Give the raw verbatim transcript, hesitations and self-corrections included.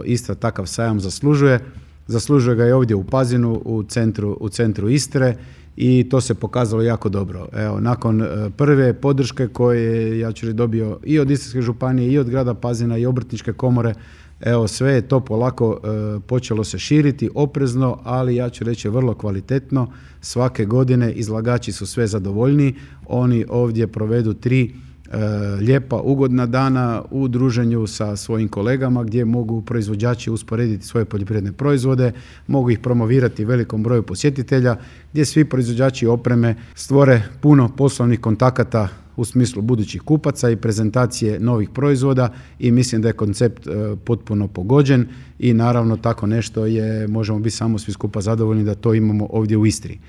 Isto takav sajam zaslužuje. Zaslužuje ga i ovdje u Pazinu, u centru, u centru Istre i to se pokazalo jako dobro. Evo, nakon prve podrške koje ja ću reći dobio i od Istarske županije i od grada Pazina i obrtničke komore, evo sve je to polako e, počelo se širiti, oprezno, ali ja ću reći vrlo kvalitetno. Svake godine izlagači su sve zadovoljniji, oni ovdje provedu tri E, lijepa, ugodna dana u druženju sa svojim kolegama gdje mogu proizvođači usporediti svoje poljoprivredne proizvode, mogu ih promovirati velikom broju posjetitelja, gdje svi proizvođači opreme stvore puno poslovnih kontakata u smislu budućih kupaca i prezentacije novih proizvoda i mislim da je koncept e, potpuno pogođen i naravno tako nešto je, možemo biti samo svi skupa zadovoljni da to imamo ovdje u Istri.